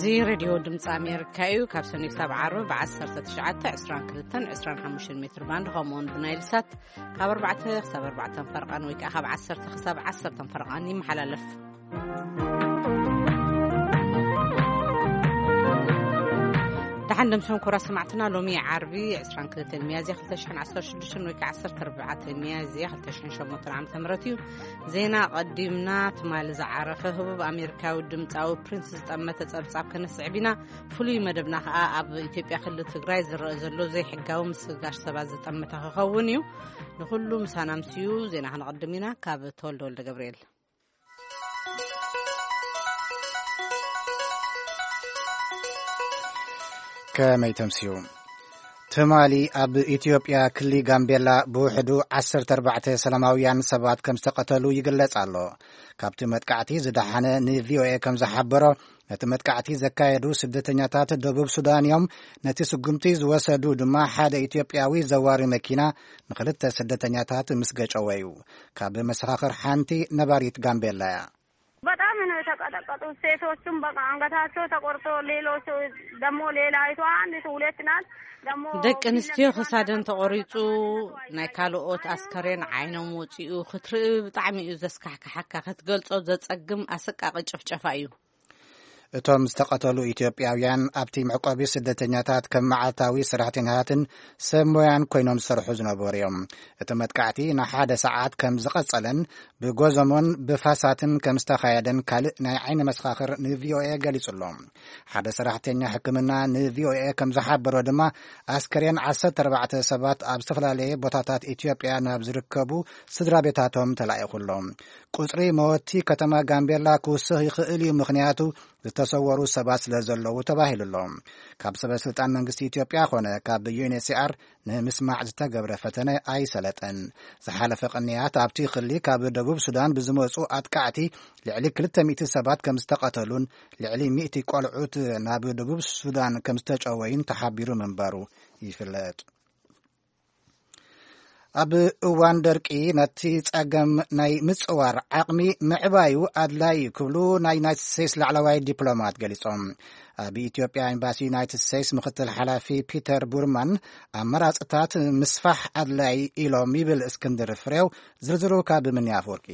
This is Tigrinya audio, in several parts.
እዚ ሬድዮ ድምፂ ኣሜሪካ እዩ። ካብ ሰኑይ ክሳብ ዓርቢ ብ19፣ 22፣ 25 ሜትር ባንድ፣ ከምኡውን ብናይል ሳት ካብ ኣርባዕተ ክሳብ ኣርባዕተ ፈርቓን ወይ ከዓ ካብ ዓሰርተ ክሳብ ዓሰርተ ፈርቓን ይመሓላለፍ። ደሓን ደምሰን ኩራ ሰማዕትና፣ ሎሚ ዓርቢ 22 ሚያዝያ 2016 ወይ ከዓ 14 ሚያዝያ 2008 ዓ.ም እዩ። ዜና ቀዲምና፣ ትማሊ ዝዓረፈ ህቡብ ኣሜሪካዊ ድምፃዊ ፕሪንስ ዝጠመተ ጸብጻብ ከነስዕብ ኢና። ፍሉይ መደብና ከዓ ኣብ ኢትዮጵያ ክልል ትግራይ ዝረአ ዘሎ ዘይሕጋዊ ምስጋር ሰባት ዝጠመተ ክኸውን እዩ። ንኹሉ ምሳና ምስዩ ዜና ክንቐድም ኢና። ካብ ተወልደ ወልደ ገብርኤል። ከመይ ተምስዩ? ትማሊ ኣብ ኢትዮጵያ ክሊ ጋምቤላ ብውሕዱ 14 ሰላማውያን ሰባት ከም ዝተቐተሉ ይግለጽ ኣሎ። ካብቲ መጥቃዕቲ ዝደሓነ ንቪኦኤ ከም ዝሓበሮ፣ ነቲ መጥቃዕቲ ዘካየዱ ስደተኛታት ደቡብ ሱዳን እዮም። ነቲ ስጉምቲ ዝወሰዱ ድማ ሓደ ኢትዮጵያዊ ዘዋሪ መኪና ንኽልተ ስደተኛታት ምስ ገጨወ እዩ። ካብ መሰኻኽር ሓንቲ ነባሪት ጋምቤላ እያ። በጣም ነው የተቀጠቀጡት። ሴቶቹም በቃ አንገታቸው ተቆርጦ፣ ሌሎች ደግሞ ሌላይቷ አንድ ሁለት ናት። ደግሞ ደቂ ኣንስትዮ ክሳደን ተቆሪጹ፣ ናይ ካልኦት ኣስከሬን ዓይኖም ወጺኡ ክትርኢ ብጣዕሚ እዩ ዘስካሕክሓካ። ክትገልጾ ዘጸግም ኣሰቃቂ ጭፍጨፋ እዩ። እቶም ዝተቐተሉ ኢትዮጵያውያን ኣብቲ መዕቆቢ ስደተኛታት ከም መዓልታዊ ሰራሕተኛታትን ሰብ ሞያን ኮይኖም ዝሰርሑ ዝነበሩ እዮም። እቲ መጥቃዕቲ ንሓደ ሰዓት ከም ዝቐጸለን ብጎዘሞን ብፋሳትን ከም ዝተኻየደን ካልእ ናይ ዓይኒ መሰኻኽር ንቪኦኤ ገሊጹ ኣሎ። ሓደ ሰራሕተኛ ሕክምና ንቪኦኤ ከም ዝሓበሮ ድማ፣ ኣስከሬን 14 ሰባት ኣብ ዝተፈላለየ ቦታታት ኢትዮጵያ ናብ ዝርከቡ ስድራ ቤታቶም ተላኢኹ ኣሎ። ቁጽሪ መወቲ ከተማ ጋምቤላ ክውስኽ ይኽእል እዩ፣ ምኽንያቱ ዝተሰወሩ ሰባት ስለ ዘለዉ ተባሂሉ ኣሎ። ካብ ሰበ ስልጣን መንግስቲ ኢትዮጵያ ኾነ ካብ ዩ ኤን ኤች ሲ ኣር ንምስማዕ ዝተገብረ ፈተነ ኣይሰለጠን። ዝሓለፈ ቅንያት ኣብቲ ክሊ ካብ ደቡብ ሱዳን ብዝመጹ ኣጥቃዕቲ ልዕሊ 200 ሰባት ከም ዝተቐተሉን ልዕሊ ሚእቲ ቆልዑት ናብ ደቡብ ሱዳን ከም ዝተጨወዩን ተሓቢሩ ምንባሩ ይፍለጥ። ኣብ እዋን ደርቂ ነቲ ጸገም ናይ ምጽዋር ዓቕሚ ምዕባዩ ኣድላዪ እዩ ክብሉ ናይ ዩናይትድ ስቴትስ ላዕለዋይ ዲፕሎማት ገሊጾም። ኣብ ኢትዮጵያ ኤምባሲ ዩናይትድ ስቴትስ ምክትል ሓላፊ ፒተር ቡርማን፣ ኣመራጽታት ምስፋሕ ኣድላዪ ኢሎም ይብል እስክንድር ፍሬው። ዝርዝሩ ካብ ምንያ ኣፈወርቂ።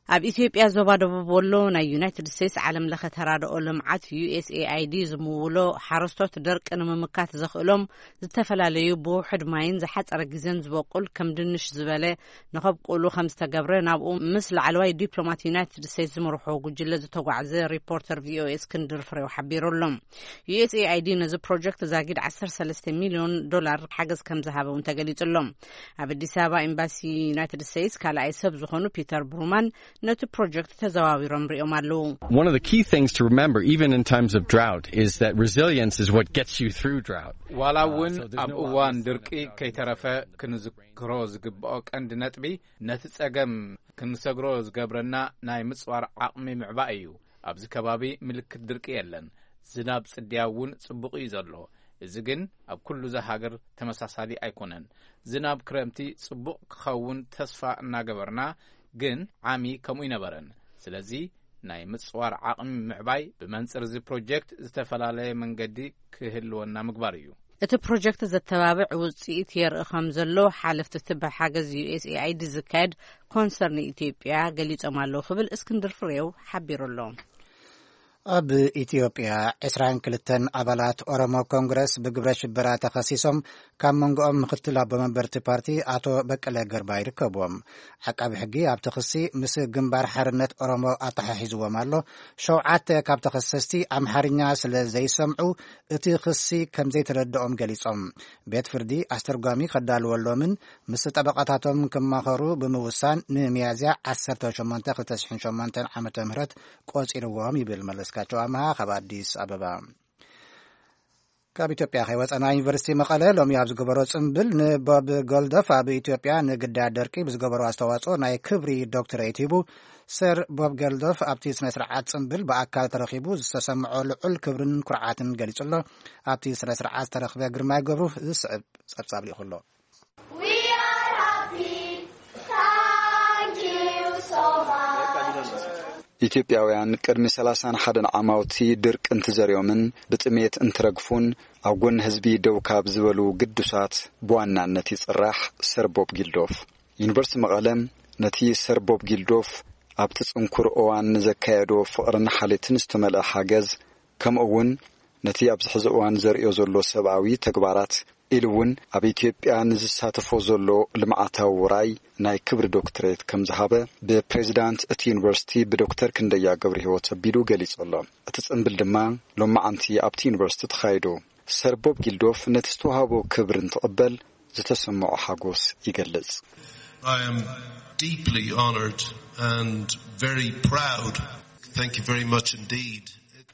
ኣብ ኢትዮጵያ ዞባ ደቡብ ወሎ ናይ ዩናይትድ ስቴትስ ዓለም ለኸ ተራድኦ ልምዓት ዩ ኤስ ኤ ኣይ ዲ ዝምውሎ ሓረስቶት ደርቂ ንምምካት ዘኽእሎም ዝተፈላለዩ ብውሑድ ማይን ዝሓጸረ ግዜን ዝበቁል ከም ድንሽ ዝበለ ንኸብቁሉ ከም ዝተገብረ ናብኡ ምስ ላዕለዋይ ዲፕሎማት ዩናይትድ ስቴትስ ዝመርሖ ጉጅለ ዝተጓዕዘ ሪፖርተር ቪኦኤ እስክንድር ፍሬው ሓቢሩ ኣሎ። ዩ ኤስ ኤ ኣይ ዲ ነዚ ፕሮጀክት ዛጊድ 13 ሚሊዮን ዶላር ሓገዝ ከም ዝሃበ እውን ተገሊጹ ኣሎ። ኣብ ኣዲስ ኣበባ ኤምባሲ ዩናይትድ ስቴትስ ካልኣይ ሰብ ዝኾኑ ፒተር ብሩማን ነቲ ፕሮጀክት ተዘዋዊሮም ሪኦም ኣለዉ። One of the key things to remember, even in times of drought, is that resilience is what gets you through drought. ዋላ እውን ኣብ እዋን ድርቂ ከይተረፈ ክንዝክሮ ዝግብኦ ቀንዲ ነጥቢ፣ ነቲ ጸገም ክንሰግሮ ዝገብረና ናይ ምጽዋር ዓቕሚ ምዕባይ እዩ። ኣብዚ ከባቢ ምልክት ድርቂ የለን። ዝናብ ጽድያ እውን ጽቡቕ እዩ ዘሎ። እዚ ግን ኣብ ኩሉ እዛ ሃገር ተመሳሳሊ ኣይኮነን። ዝናብ ክረምቲ ጽቡቕ ክኸውን ተስፋ እናገበርና፣ ግን ዓሚ ከምኡ ይነበረን። ስለዚ ናይ ምጽዋር ዓቕሚ ምዕባይ ብመንጽር እዚ ፕሮጀክት ዝተፈላለየ መንገዲ ክህልወና ምግባር እዩ። እቲ ፕሮጀክት ዘተባብዕ ውጽኢት የርኢ ከም ዘሎ ሓለፍቲ እቲ ብሓገዝ ዩ ኤስ ኤ ኣይ ዲ ዝካየድ ኮንሰርን ኢትዮጵያ ገሊጾም ኣለዉ ክብል እስክንድር ፍሬው ሓቢሩ ኣሎ። ኣብ ኢትዮጵያ 22 ኣባላት ኦሮሞ ኮንግረስ ብግብረ ሽበራ ተኸሲሶም፣ ካብ መንጎኦም ምክትል ኣቦ መንበርቲ ፓርቲ ኣቶ በቀለ ገርባ ይርከብዎም። ዓቃቢ ሕጊ ኣብቲ ክሲ ምስ ግንባር ሓርነት ኦሮሞ ኣተሓሒዝዎም ኣሎ። ሸውዓተ ካብ ተኸሰስቲ ኣምሓርኛ ስለ ዘይሰምዑ እቲ ክሲ ከም ዘይተረድኦም ገሊጾም። ቤት ፍርዲ ኣስተርጓሚ ከዳልወሎምን ምስ ጠበቃታቶም ክማኸሩ ብምውሳን ንሚያዝያ 18 2008 ዓ.ም ቆጺርዎም ይብል መለስካቸው ኣምሃ ካብ ኣዲስ ኣበባ። ካብ ኢትዮጵያ ከይወጸና፣ ዩኒቨርሲቲ መቐለ ሎሚ ኣብ ዝገበሮ ጽምብል ንቦብ ጎልዶፍ ኣብ ኢትዮጵያ ንግዳያት ደርቂ ብዝገበሮ ኣስተዋጽኦ ናይ ክብሪ ዶክትሬት ሂቡ። ሰር ቦብ ጎልዶፍ ኣብቲ ስነ ስርዓት ጽምብል ብኣካል ተረኺቡ ዝተሰምዖ ልዑል ክብርን ኩርዓትን ገሊጹ ኣሎ። ኣብቲ ስነ ስርዓት ዝተረኽበ ግርማይ ገብሩ ዝስዕብ ጸብጻብ ልኢኹ ኣሎ። We are happy. Thank you so much. ኢትዮጵያውያን ቅድሚ ሰላሳን ሓደን ዓማውቲ ድርቂ እንትዘርዮምን ብጥሜት እንትረግፉን ኣብ ጎኒ ህዝቢ ደው ካብ ዝበሉ ግዱሳት ብዋናነት ይጽራሕ ሰር ቦብ ጊልዶፍ። ዩኒቨርሲቲ መቐለ ነቲ ሰር ቦብ ጊልዶፍ ኣብቲ ጽንኩር እዋን ንዘካየዶ ፍቕርን ሓልዮትን ዝተመልአ ሓገዝ፣ ከምኡ እውን ነቲ ኣብዚ ሕዚ እዋን ዘርእዮ ዘሎ ሰብኣዊ ተግባራት፣ ኢሉ እውን ኣብ ኢትዮጵያ ንዝሳተፎ ዘሎ ልምዓታዊ ውራይ ናይ ክብሪ ዶክትሬት ከም ዝሃበ ብፕሬዚዳንት እቲ ዩኒቨርሲቲ ብዶክተር ክንደያ ገብረ ህይወት ኣቢሉ ገሊጹ ኣሎ። እቲ ጽምብል ድማ ሎማዓንቲ ኣብቲ ዩኒቨርሲቲ ተኻይዱ። ሰር ቦብ ጊልዶፍ ነቲ ዝተዋህቦ ክብሪ እንትቕበል ዝተሰምዖ ሓጎስ ይገልጽ። I am deeply honored and very proud. Thank you very much indeed.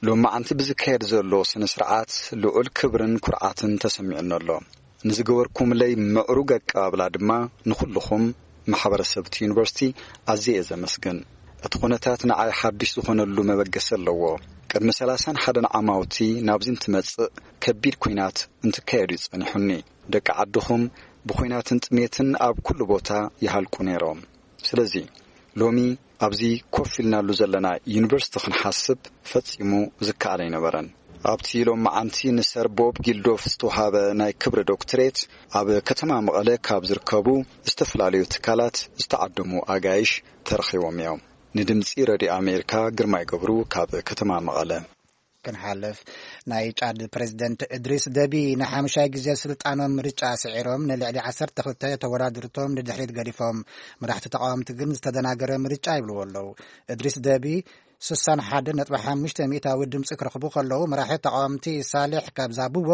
ሎማዓንቲ ብዝካየድ ዘሎ ስነ ስርዓት ልዑል ክብርን ኩርዓትን ተሰሚዑኒ ኣሎ። ንዝገበርኩምለይ ምዕሩግ ኣቀባብላ ድማ ንኹልኹም ማሕበረሰብ እቲ ዩኒቨርሲቲ ኣዝየ እየ ዘመስግን። እቲ ኩነታት ንዓይ ሓድሽ ዝኾነሉ መበገሲ ኣለዎ። ቅድሚ ሰላሳን ሓደን ዓማውቲ ናብዚ እንትመጽእ ከቢድ ኲናት እንትካየድ እዩ ጸኒሑኒ። ደቂ ዓድኹም ብኲናትን ጥሜትን ኣብ ኩሉ ቦታ ይሃልቁ ነይሮም። ስለዚ ሎሚ ኣብዚ ኮፍ ኢልናሉ ዘለና ዩኒቨርሲቲ ክንሓስብ ፈጺሙ ዝከኣል ኣይነበረን። ኣብቲ ሎማዓንቲ ንሰር ቦብ ጊልዶፍ ዝተውሃበ ናይ ክብሪ ዶክትሬት ኣብ ከተማ መቐለ ካብ ዝርከቡ ዝተፈላለዩ ትካላት ዝተዓደሙ ኣጋይሽ ተረኺቦም እዮም። ንድምጺ ረድዮ ኣሜሪካ ግርማይ ገብሩ ካብ ከተማ መቐለ። ክንሓልፍ፣ ናይ ጫድ ፕሬዚደንት እድሪስ ደቢ ንሓምሻይ ግዜ ስልጣኖም ምርጫ ስዒሮም ንልዕሊ ዓሰርተ ክልተ ተወዳድርቶም ንድሕሪት ገዲፎም። መራሕቲ ተቃወምቲ ግን ዝተደናገረ ምርጫ ይብልዎ ኣለዉ። እድሪስ ደቢ ስሳን ሓደ ነጥቢ ሓሙሽተ ሚእታዊ ድምፂ ክረኽቡ ከለዉ፣ መራሒ ተቃወምቲ ሳሌሕ ካብ ዛቡዎ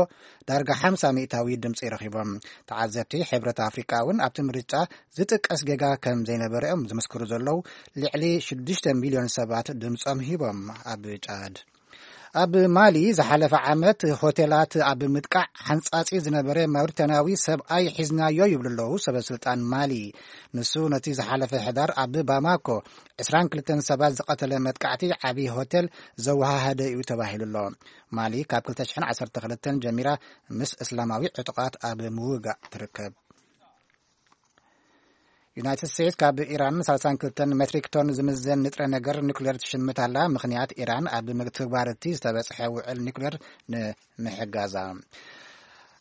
ዳርጋ ሓምሳ ሚእታዊ ድምፂ ረኺቦም። ተዓዘብቲ ሕብረት ኣፍሪቃ እውን ኣብቲ ምርጫ ዝጥቀስ ጌጋ ከም ዘይነበረ እዮም ዝምስክሩ ዘለዉ። ልዕሊ ሽዱሽተ ሚልዮን ሰባት ድምፆም ሂቦም። ኣብ ጫድ ኣብ ማሊ ዝሓለፈ ዓመት ሆቴላት ኣብ ምጥቃዕ ሓንጻጺ ዝነበረ ማውሪታንያዊ ሰብኣይ ሒዝናዮ ይብሉ ኣለዉ ሰበ ስልጣን ማሊ። ንሱ ነቲ ዝሓለፈ ሕዳር ኣብ ባማኮ ዕስራን ክልተን ሰባት ዝቐተለ መጥቃዕቲ ዓቢ ሆቴል ዘወሃሃደ እዩ ተባሂሉ ኣሎ። ማሊ ካብ ክልተ ሽሕን ዓሰርተ ክልተን ጀሚራ ምስ እስላማዊ ዕጡቓት ኣብ ምውጋእ ትርከብ። ዩናይትድ ስቴትስ ካብ ኢራን ሰላሳን ክልተን ሜትሪክ ቶን ዝምዘን ንጥረ ነገር ኒኩሌር ትሽምት ኣላ። ምኽንያት ኢራን ኣብ ምግትግባር እቲ ዝተበጽሐ ውዕል ኒኩሌር ንምሕጋዛ።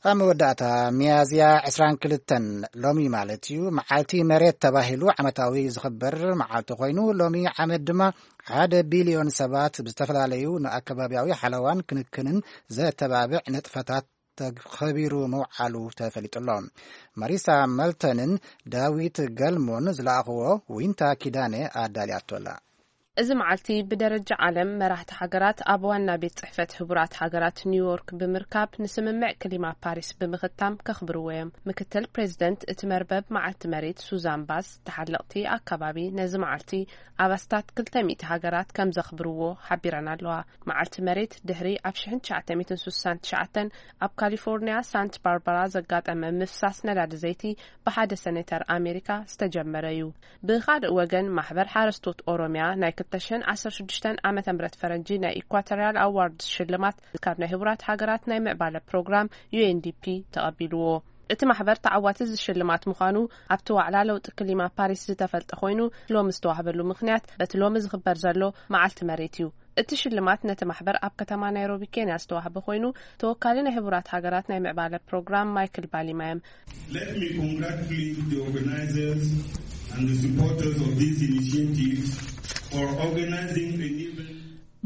ኣብ መወዳእታ፣ ሚያዝያ ዕስራን ክልተን ሎሚ ማለት እዩ፣ መዓልቲ መሬት ተባሂሉ ዓመታዊ ዝኽበር መዓልቲ ኮይኑ፣ ሎሚ ዓመት ድማ ሓደ ቢልዮን ሰባት ብዝተፈላለዩ ንኣከባቢያዊ ሓለዋን ክንክንን ዘተባብዕ ንጥፈታት ተኸቢሩ ምውዓሉ ተፈሊጡ ኣሎ። ማሪሳ መልተንን ዳዊት ገልሞን ዝለኣኽዎ ዊንታ ኪዳነ ኣዳልያቶ ኣላ። እዚ መዓልቲ ብደረጃ ዓለም መራሕቲ ሃገራት ኣብ ዋና ቤት ጽሕፈት ህቡራት ሃገራት ኒውዮርክ ብምርካብ ንስምምዕ ክሊማ ፓሪስ ብምኽታም ከኽብርዎ እዮም። ምክትል ፕሬዚደንት እቲ መርበብ መዓልቲ መሬት ሱዛን ባስ፣ ተሓለቕቲ ኣከባቢ ነዚ መዓልቲ ኣብ ኣስታት ክልተ ሚእቲ ሃገራት ከም ዘኽብርዎ ሓቢረን ኣለዋ። መዓልቲ መሬት ድሕሪ ኣብ ሽሕን ትሽዓተ ሚእትን ስሳን ትሽዓተን ኣብ ካሊፎርኒያ ሳንት ባርባራ ዘጋጠመ ምፍሳስ ነዳዲ ዘይቲ ብሓደ ሰኔተር ኣሜሪካ ዝተጀመረ እዩ። ብኻልእ ወገን ማሕበር ሓረስቶት ኦሮሚያ ናይ ክልተ ሽሕን ዓሰርተ ሽዱሽተን ዓመተ ምህረት ፈረንጂ ናይ ኢኳቶሪያል ኣዋርድስ ሽልማት ካብ ናይ ህቡራት ሃገራት ናይ ምዕባለ ፕሮግራም ዩ ኤን ዲ ፒ ተቐቢልዎ። እቲ ማሕበር ተዓዋቲ እዚ ሽልማት ምዃኑ ኣብቲ ዋዕላ ለውጢ ክሊማ ፓሪስ ዝተፈልጠ ኮይኑ ሎሚ ዝተዋህበሉ ምኽንያት በቲ ሎሚ ዝኽበር ዘሎ መዓልቲ መሬት እዩ። እቲ ሽልማት ነቲ ማሕበር ኣብ ከተማ ናይሮቢ ኬንያ ዝተዋህበ ኮይኑ ተወካሊ ናይ ህቡራት ሃገራት ናይ ምዕባለ ፕሮግራም ማይክል ባሊማ እዮም። Let me congratulate the organizers and the supporters of this initiative for organizing an event.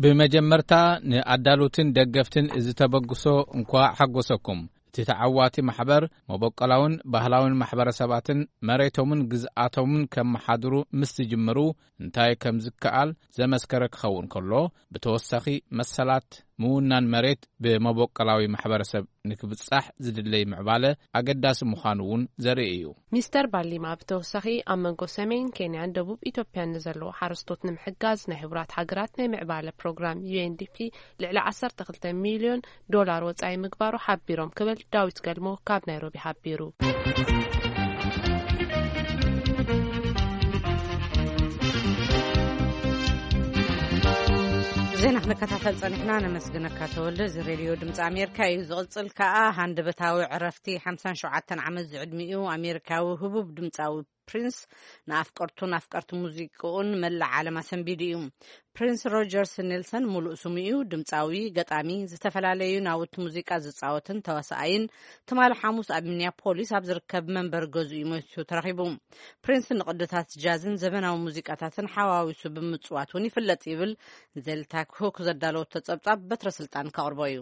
ብመጀመርታ ንኣዳሉትን ደገፍትን እዚ ተበግሶ እንኳዕ ሓጎሰኩም። እቲ ተዓዋቲ ማሕበር መበቆላውን ባህላውን ማሕበረሰባትን መሬቶምን ግዝኣቶምን ከመሓድሩ ምስ ዝጅምሩ እንታይ ከም ዝከኣል ዘመስከረ ክኸውን ከሎ፣ ብተወሳኺ መሰላት ምውናን መሬት ብመበቆላዊ ማሕበረሰብ ንክብጻሕ ዝድለይ ምዕባለ ኣገዳሲ ምዃኑ እውን ዘርኢ እዩ። ሚስተር ባሊማ ብተወሳኺ ኣብ መንጎ ሰሜን ኬንያን ደቡብ ኢትዮጵያን ንዘለዉ ሓረስቶት ንምሕጋዝ ናይ ህቡራት ሃገራት ናይ ምዕባለ ፕሮግራም ዩ ኤን ዲ ፒ ልዕሊ ዓሰርተ ክልተ ሚልዮን ዶላር ወጻኢ ምግባሩ ሓቢሮም ክብል ዳዊት ገልሞ ካብ ናይሮቢ ሓቢሩ። ዜና ክንከታተል ጸኒሕና። ነመስግነካ ተወልደ። እዚ ሬድዮ ድምፂ ኣሜሪካ እዩ። ዝቕጽል ከኣ ሃንደበታዊ ዕረፍቲ ሓምሳን ሸውዓተን ዓመት ዝዕድሚኡ ኣሜሪካዊ ህቡብ ድምፃዊ ፕሪንስ ንኣፍቀርቱን ኣፍቀርቲ ሙዚቃኡን መላእ ዓለም ኣሰንቢዱ እዩ። ፕሪንስ ሮጀርስ ኔልሰን ምሉእ ስሙ እዩ። ድምፃዊ፣ ገጣሚ፣ ዝተፈላለዩ ናውቲ ሙዚቃ ዝፃወትን ተዋሳኣይን፣ ትማሊ ሓሙስ ኣብ ሚኒያፖሊስ ኣብ ዝርከብ መንበሪ ገዝኡ እዩ ሞይቱ ተረኺቡ። ፕሪንስ ንቕድታት ጃዝን ዘበናዊ ሙዚቃታትን ሓዋዊሱ ብምፅዋት እውን ይፍለጥ ይብል። ዜልታክ ሁክ ዘዳለወቶ ጸብጻብ በትረ ስልጣን ከቕርቦ እዩ።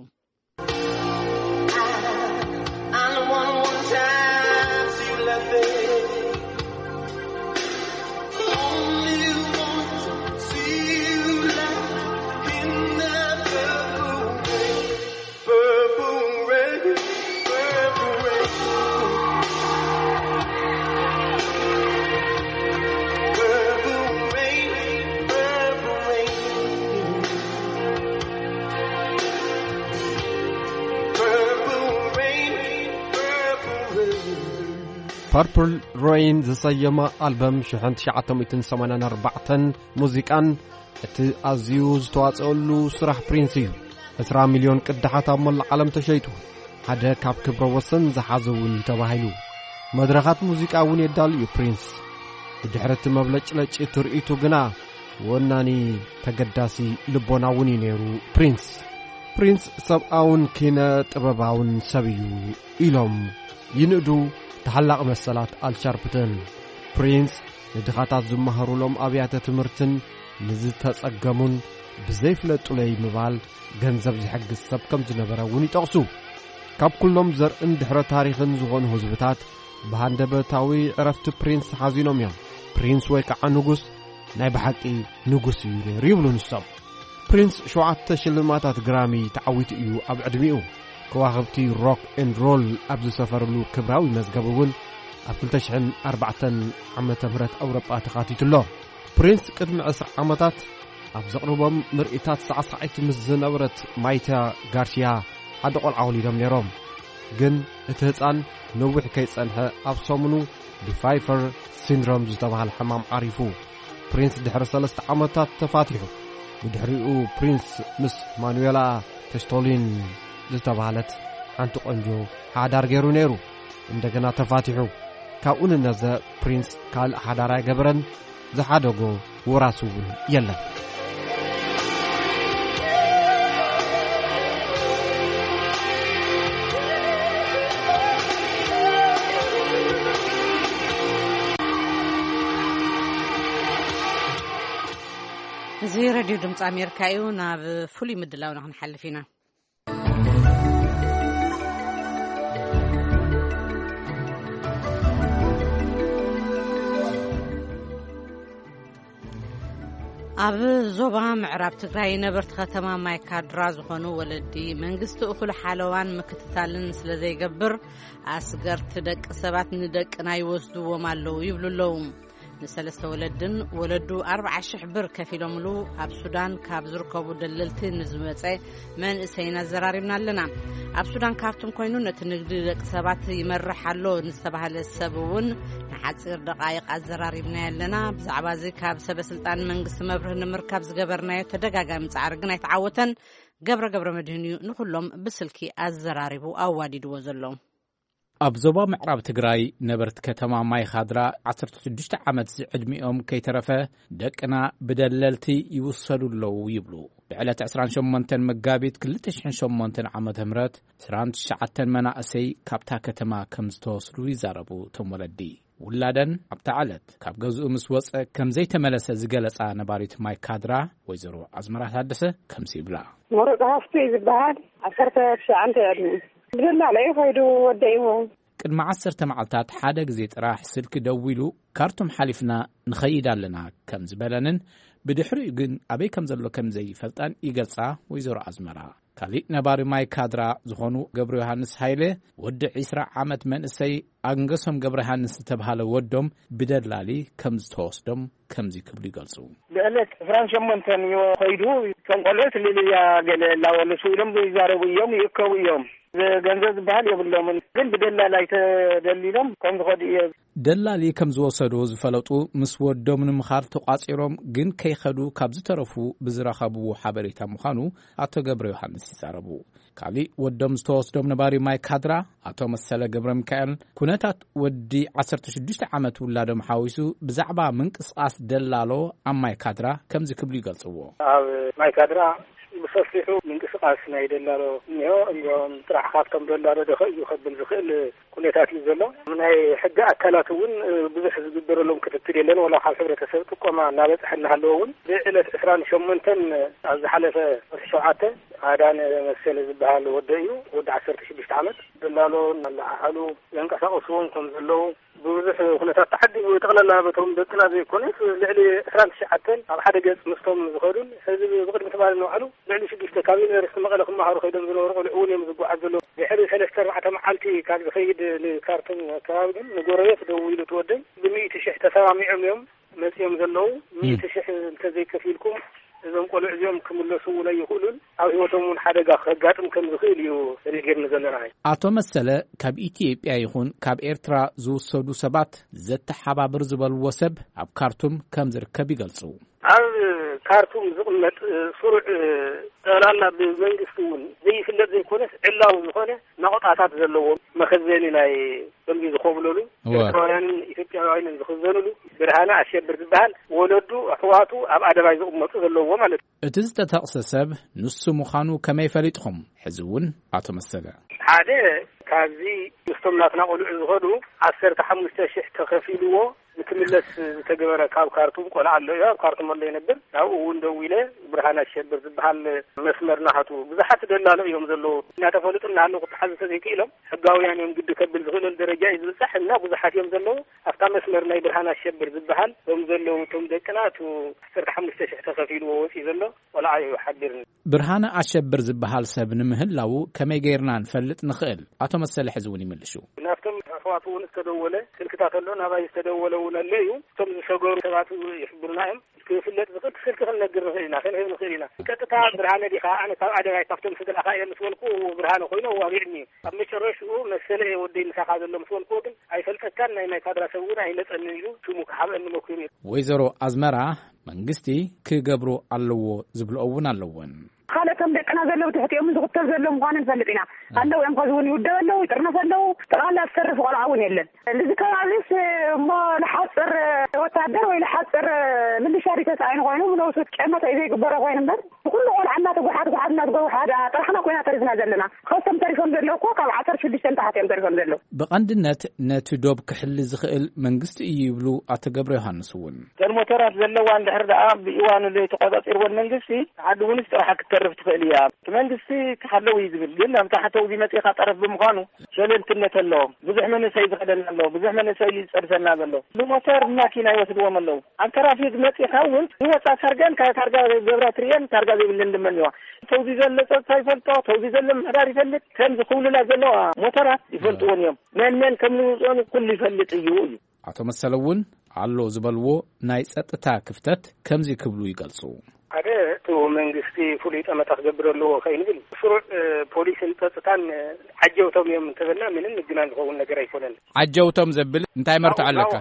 ፐርፕል ሬይን ዝሰየመ ኣልበም ሽሕን ትሽዓተ ሚእትን ሰማንያን ኣርባዕተን ሙዚቃን እቲ ኣዝዩ ዝተዋጸኣሉ ስራሕ ፕሪንስ እዩ። ዕስራ ሚልዮን ቅዳሓት ኣብ መላእ ዓለም ተሸይጡ። ሓደ ካብ ክብረ ወሰን ዝሓዘ እውን እዩ ተባሂሉ። መድረኻት ሙዚቃ እውን የዳሉ እዩ ፕሪንስ። ብድሕሪ እቲ መብለጭለጭ ትርኢቱ ግና ወናኒ ተገዳሲ ልቦና እውን እዩ ነይሩ ፕሪንስ። ፕሪንስ ሰብኣውን ኪነ ጥበባውን ሰብ እዩ ኢሎም ይንእዱ ተሓላቒ መሰላት ኣልሻርፕተን። ፕሪንስ ንድኻታት ዝመሃሩሎም ኣብያተ ትምህርትን ንዝተጸገሙን ብዘይፍለጡለይ ምባል ገንዘብ ዝሕግዝ ሰብ ከም ዝነበረ እውን ይጠቕሱ። ካብ ኩሎም ዘርእን ድሕረ ታሪኽን ዝኾኑ ህዝብታት ብሃንደበታዊ ዕረፍቲ ፕሪንስ ሓዚኖም እዮም። ፕሪንስ ወይ ከዓ ንጉስ ናይ ብሓቂ ንጉስ እዩ ነይሩ ይብሉ ንሶም። ፕሪንስ ሸውዓተ ሽልማታት ግራሚ ተዓዊቱ እዩ ኣብ ዕድሚኡ። ከዋኽብቲ ሮክ ኤንድ ሮል ኣብ ዝሰፈርሉ ክብራዊ መዝገብ እውን ኣብ ክልተ ሽሕን ኣርባዕተን ዓመተ ምህረት ኣውሮጳ ተኻቲቱ ኣሎ። ፕሪንስ ቅድሚ ዕስራ ዓመታት ኣብ ዘቕርቦም ምርኢታት ሳዕሳዒት ምስ ዝነበረት ማይታ ጋርሲያ ሓደ ቆልዓ ወሊዶም ነይሮም። ግን እቲ ህፃን ነዊሕ ከይጸንሐ ኣብ ሰሙኑ ብፋይፈር ሲንድሮም ዝተባህለ ሕማም ዓሪፉ። ፕሪንስ ድሕሪ ሰለስተ ዓመታት ተፋቲሑ። ብድሕሪኡ ፕሪንስ ምስ ማኑዌላ ተስቶሊን ዝተባህለት ሓንቲ ቆንጆ ሓዳር ገይሩ ነይሩ። እንደገና ተፋቲሑ። ካብኡ ንነዘ ፕሪንስ ካልእ ሓዳር ኣይገበረን። ዝሓደጎ ወራሲ እውን የለን። እዚ ሬድዮ ድምፂ ኣሜሪካ እዩ። ናብ ፍሉይ ምድላውና ክንሓልፍ ኢና። ኣብ ዞባ ምዕራብ ትግራይ ነበርቲ ከተማ ማይካድራ ዝኾኑ ወለዲ፣ መንግስቲ እኹል ሓለዋን ምክትታልን ስለ ዘይገብር፣ ኣስገርቲ ደቂ ሰባት ንደቅና ይወስድዎም ኣለዉ ይብሉ ኣለዉ። ንሰለስተ ወለድን ወለዱ ኣርብዓ ሽሕ ብር ከፊሎምሉ ኣብ ሱዳን ካብ ዝርከቡ ደለልቲ ንዝመጸ መንእሰይን ኣዘራሪብና ኣለና። ኣብ ሱዳን ካርቱም ኮይኑ ነቲ ንግዲ ደቂ ሰባት ይመርሕ ኣሎ ንዝተባህለ ሰብ እውን ንሓጺር ደቓይቕ ኣዘራሪብና ኣለና። ብዛዕባ እዚ ካብ ሰበ ስልጣን መንግስቲ መብርህ ንምርካብ ዝገበርናዮ ተደጋጋሚ ጻዕሪ ግን ኣይተዓወተን። ገብረ ገብረ መድህን እዩ ንኹሎም ብስልኪ ኣዘራሪቡ ኣዋዲድዎ ዘሎ። ኣብ ዞባ ምዕራብ ትግራይ ነበርቲ ከተማ ማይኻድራ ዓሰርተ ሽዱሽተ ዓመት ዝዕድሚኦም ከይተረፈ ደቅና ብደለልቲ ይውሰዱ ኣለዉ ይብሉ። ብዕለት ዕስራን ሸሞንተን መጋቢት ክልተ ሽሕን ሸሞንተን ዓመተ ምህረት ዕስራን ትሽዓተን መናእሰይ ካብታ ከተማ ከም ዝተወስዱ ይዛረቡ እቶም ወለዲ። ውላደን ኣብታ ዕለት ካብ ገዝኡ ምስ ወፀ ከም ዘይተመለሰ ዝገለፃ ነባሪት ማይካድራ ወይዘሮ ኣዝመራ ታደሰ ከምዚ ይብላ። መሮፅ ሃፍቱ እዩ ዝበሃል። ዓሰርተ ትሽዓተ እዩ ዕድሚኡ። ብደላላ እዩ ከይዱ ወደይዎ። ቅድሚ ዓሰርተ መዓልታት ሓደ ግዜ ጥራሕ ስልኪ ደዊሉ ካርቱም ሓሊፍና ንኸይድ ኣለና ከም ዝበለንን ብድሕሪኡ ግን ኣበይ ከም ዘሎ ከም ዘይፈልጣን ይገልጻ ወይዘሮ ኣዝመራ። ካሊእ ነባሪ ማይካድራ ዝኾኑ ገብረ ዮሃንስ ሃይለ ወዲ ዕስራ ዓመት መንእሰይ ኣንገሶም ገብረ ዮሃንስ ዝተብሃለ ወዶም ብደላሊ ከም ዝተወስዶም ከምዚ ክብሉ ይገልጹ። ብዕለት ዕስራን ሸሞንተን እዩ ኸይዱ። እቶም ቆልዑት ሊልያ ገለ እናበሉ ስኢሎም ዘይዛረቡ እዮም፣ ይእከቡ እዮም። ገንዘብ ዝበሃል የብሎምን፣ ግን ብደላላይ ተደሊሎም ከም ዝኸዱ እየ። ደላሊ ከም ዝወሰዱ ዝፈለጡ ምስ ወዶም ንምኻድ ተቋጺሮም ግን ከይኸዱ ካብ ዝተረፉ ብዝረኸብዎ ሓበሬታ ምዃኑ ኣቶ ገብረ ዮሃንስ ይዛረቡ። ካሊእ ወዶም ዝተወስዶም ነባሪ ማይ ካድራ ኣቶ መሰለ ገብረ ሚካኤል፣ ኩነታት ወዲ ዓሰርተ ሽዱሽተ ዓመት ውላዶም ሓዊሱ ብዛዕባ ምንቅስቓስ ደላሎ ኣብ ማይ ካድራ ከምዚ ክብሉ ይገልጽዎ። ኣብ ማይ ካድራ ብሰፊሑ ምንቅስቓስ ናይ ደላሎ እኒሆ። እዚኦም ጥራሕ ካብቶም ደላሎ ደኸ እዩ ከብል ዝኽእል ኩነታት እዩ ዘሎ። ናይ ሕጊ ኣካላት እውን ብዙሕ ዝግበረሎም ክትትል የለን። ወላ ካብ ሕብረተሰብ ጥቆማ እናበፅሐ እናሃለዎ እውን ብዕለት ዕስራን ሸሞንተን ኣብ ዝሓለፈ ወርሒ ሸውዓተ ኣዳነ መሰለ ዝበሃል ወደ እዩ፣ ወዲ ዓሰርተ ሽዱሽተ ዓመት፣ ደላሎ እናለዓዓሉ ዘንቀሳቐስዎም ከም ዘለዉ ብብዙሕ ኩነታት ተዓዲጉ። ጠቕላላ በቶም ደቅና ዘይኮነስ ልዕሊ ዕስራን ትሽዓተን ኣብ ሓደ ገጽ ምስቶም ዝኸዱን ሕዚ ብቕድሚ ትማሊ ንባዕሉ ልዕሊ ሽዱሽተ ካብ ዩኒቨርሲቲ መቐለ ክመሃሩ ከይዶም ዝነበሩ ቆልዑ እውን እዮም ዝጓዓዝ ዘለዉ። ድሕሪ ሰለስተ ኣርባዕተ መዓልቲ ካብ ዝኸይድ ንካርቱም ኣከባቢ ግን ንጎረቤት ደዊሉ እቲ ወደይ ብሚእቲ ሽሕ ተሰማሚዖም እዮም መጺኦም ዘለዉ። ሚእቲ ሽሕ እንተዘይከፊልኩም እዞም ቆልዑ እዚኦም ክምለሱ እውን ኣይኽእሉን፣ ኣብ ህይወቶም እውን ሓደጋ ከጋጥም ከም ዝኽእል እዩ ተነጊርኒ ዘለና። ኣቶ መሰለ፣ ካብ ኢትዮጵያ ይኹን ካብ ኤርትራ ዝውሰዱ ሰባት ዘተሓባብር ዝበልዎ ሰብ ኣብ ካርቱም ከም ዝርከብ ይገልጹ። ኣብ ካርቱም ዝቕመጥ ስሩዕ፣ ጠቕላላ ብመንግስቲ እውን ዘይፍለጥ ዘይኮነስ ዕላዊ ዝኾነ ናቑጣታት ዘለዎ መኸዘኒ ናይ ከምዚ ዝኮብለሉ እወ። ኤርትራውያንን ኢትዮጵያውያንን ዝኽዘኑሉ ብርሃነ ኣሸብር ዝበሃል ወለዱ ኣሕዋቱ ኣብ ኣደባይ ዝቕመጡ ዘለዎ ማለት እዩ። እቲ ዝተጠቕሰ ሰብ ንሱ ምዃኑ ከመይ ፈሊጥኹም? ሕዚ እውን ኣቶ መሰለ። ሓደ ካብዚ ምስቶም ናትና ቆልዑ ዝኸዱ ዓሰርተ ሓሙሽተ ሽሕ ተኸፊልዎ ንክምለስ ዝተገበረ ካብ ካርቱም ቆልዓ ኣሎ እዩ። ኣብ ካርቱም ኣሎ ይነብር። ናብኡ እውን ደዊለ ብርሃን ኣሸብር ዝበሃል መስመር ናሃቱ ብዙሓት ደላሎ እዮም ዘለዉ። እናተፈለጡ እናሃለዉ ክተሓዙ ተዘይክኢሎም ሕጋውያን እዮም ግዲ ከብል ዝኽእለሉ ደረጃ እዩ ዝበፅሕ እና ብዙሓት እዮም ዘለዉ። ኣብታ መስመር ናይ ብርሃን ኣሸብር ዝበሃል እቶም ዘለዉ እቶም ደቅና እቱ ዓሰርተ ሓሙሽተ ሽሕ ተኸፊልዎ ወፂኡ ዘሎ ቆልዓ እዩ ሓቢርኒ። ብርሃነ ኣሸብር ዝበሃል ሰብ ንምህላዉ ከመይ ገይርና ንፈልጥ ንኽእል? ኣቶ መሰለ ሕዚ እውን ይምልሹ። ናብቶም ኣሕዋቱ እውን ዝተደወለ ስልክታት ኣሎ፣ ናባይ ዝተደወለ እውን ኣሎ እዩ። እቶም ዝሰገሩ ሰባት ይሕብሩና እዮም። ክፍለጥ ዝኽእል ስልኪ ክንነግር ንኽእል ኢና፣ ክንህብ ንኽእል ኢና። ቀጥታ ብርሃነ ዲኻ? ኣነ ካብ ኣደባይ ካብቶም ስድራኻ እየ ምስ በልኩ ብርሃነ ኮይኑ ኣዋጊዕኒ እዩ። ኣብ መጨረሽኡ መሰለ እየ ወደይ ምሳኻ ዘሎ ምስ በልኩዎ ግን ኣይፈልጠካን፣ ናይ ናይ ካድራ ሰብ እውን ኣይመጸንን ኢሉ ሽሙ ክሓብአኒ መኪሩ እዩ። ወይዘሮ ኣዝመራ መንግስቲ ክገብሮ ኣለዎ ዝብልኦ እውን ኣለወን። ካልእ ከም ደቅና ዘለዉ ትሕቲኦም ዝኽተል ዘሎ ምዃኑ ንፈልጥ ኢና። ኣለዉ እዮም፣ ከዚ እውን ይውደብ ኣለዉ፣ ይጥርነፍ ኣለዉ። ጠቕላላ ዝተርፍ ቆልዓ እውን የለን። እዚ ከባቢስ እሞ ንሓፅር ወታደር ወይ ንሓፅር ምልሻ ዲተስ ኣይንኾይኑ፣ ብነብሱ ጨመተ እዩ ዘይግበሮ ኮይኑ እምበር፣ ብኩሉ ቆልዓ እናተጓሓት ጓሓት እናተጓሓት ጥራሕና ኮይና ተሪፍና ዘለና። ከስቶም ተሪፎም ዘለዉ እኮ ካብ ዓሰርተ ሽዱሽተ ንታሕቲ እዮም ተሪፎም ዘለዉ። ብቐንድነት ነቲ ዶብ ክሕሊ ዝኽእል መንግስቲ እዩ ይብሉ ኣቶ ገብረ ዮሃንስ እውን። እተን ሞተራት ዘለዋ እንድሕር ደኣ ብእዋኑ ዘይተቆጻጺርወን መንግስቲ፣ ዓዲ እውን ጥራሓ ክትተርፍ ትኽእል እያ። እቲ መንግስቲ ክሓለው እዩ ዝብል፣ ግን ኣብ ታሕተው እዚ መጺኻ ጠረፍ ብምዃኑ ሸለልትነት ኣለዎም። ብዙሕ መንእሰይ ዝኸደና ኣለዎ፣ ብዙሕ መንእሰይ እዩ ዝጸድፈና ዘሎ። ብሞተር ብማኪና ይወስድዎም ኣለዉ። ኣብ ትራፊክ መጺኻ እውን ዝወጻ ታርጋን ካብ ታርጋ ገብራ ትርእየን ታርጋ ዘይብለን ድማ እኒዋ። ተውዚ ዘሎ ጸጥታ ይፈልጦ፣ ተውዚ ዘሎ ምሕዳር ይፈልጥ፣ ከምዚ ክውልላ ዘለዋ ሞተራት ይፈልጥዎን እዮም። መን መን ከም ንውፅኦን ኩሉ ይፈልጥ እዩ እዩ። ኣቶ መሰለ እውን ኣሎ ዝበልዎ ናይ ጸጥታ ክፍተት ከምዚ ክብሉ ይገልጹ። ሓደ እቲ መንግስቲ ፍሉይ ጠመታ ክገብር ኣለዎ ከይንብል ስሩዕ ፖሊስን ጸጥታን ዓጀውቶም እዮም እንተበልና ምንም ምግናን ዝኸውን ነገር ኣይኮነን። ዓጀውቶም ዘብል እንታይ መርትዖ ኣለካ?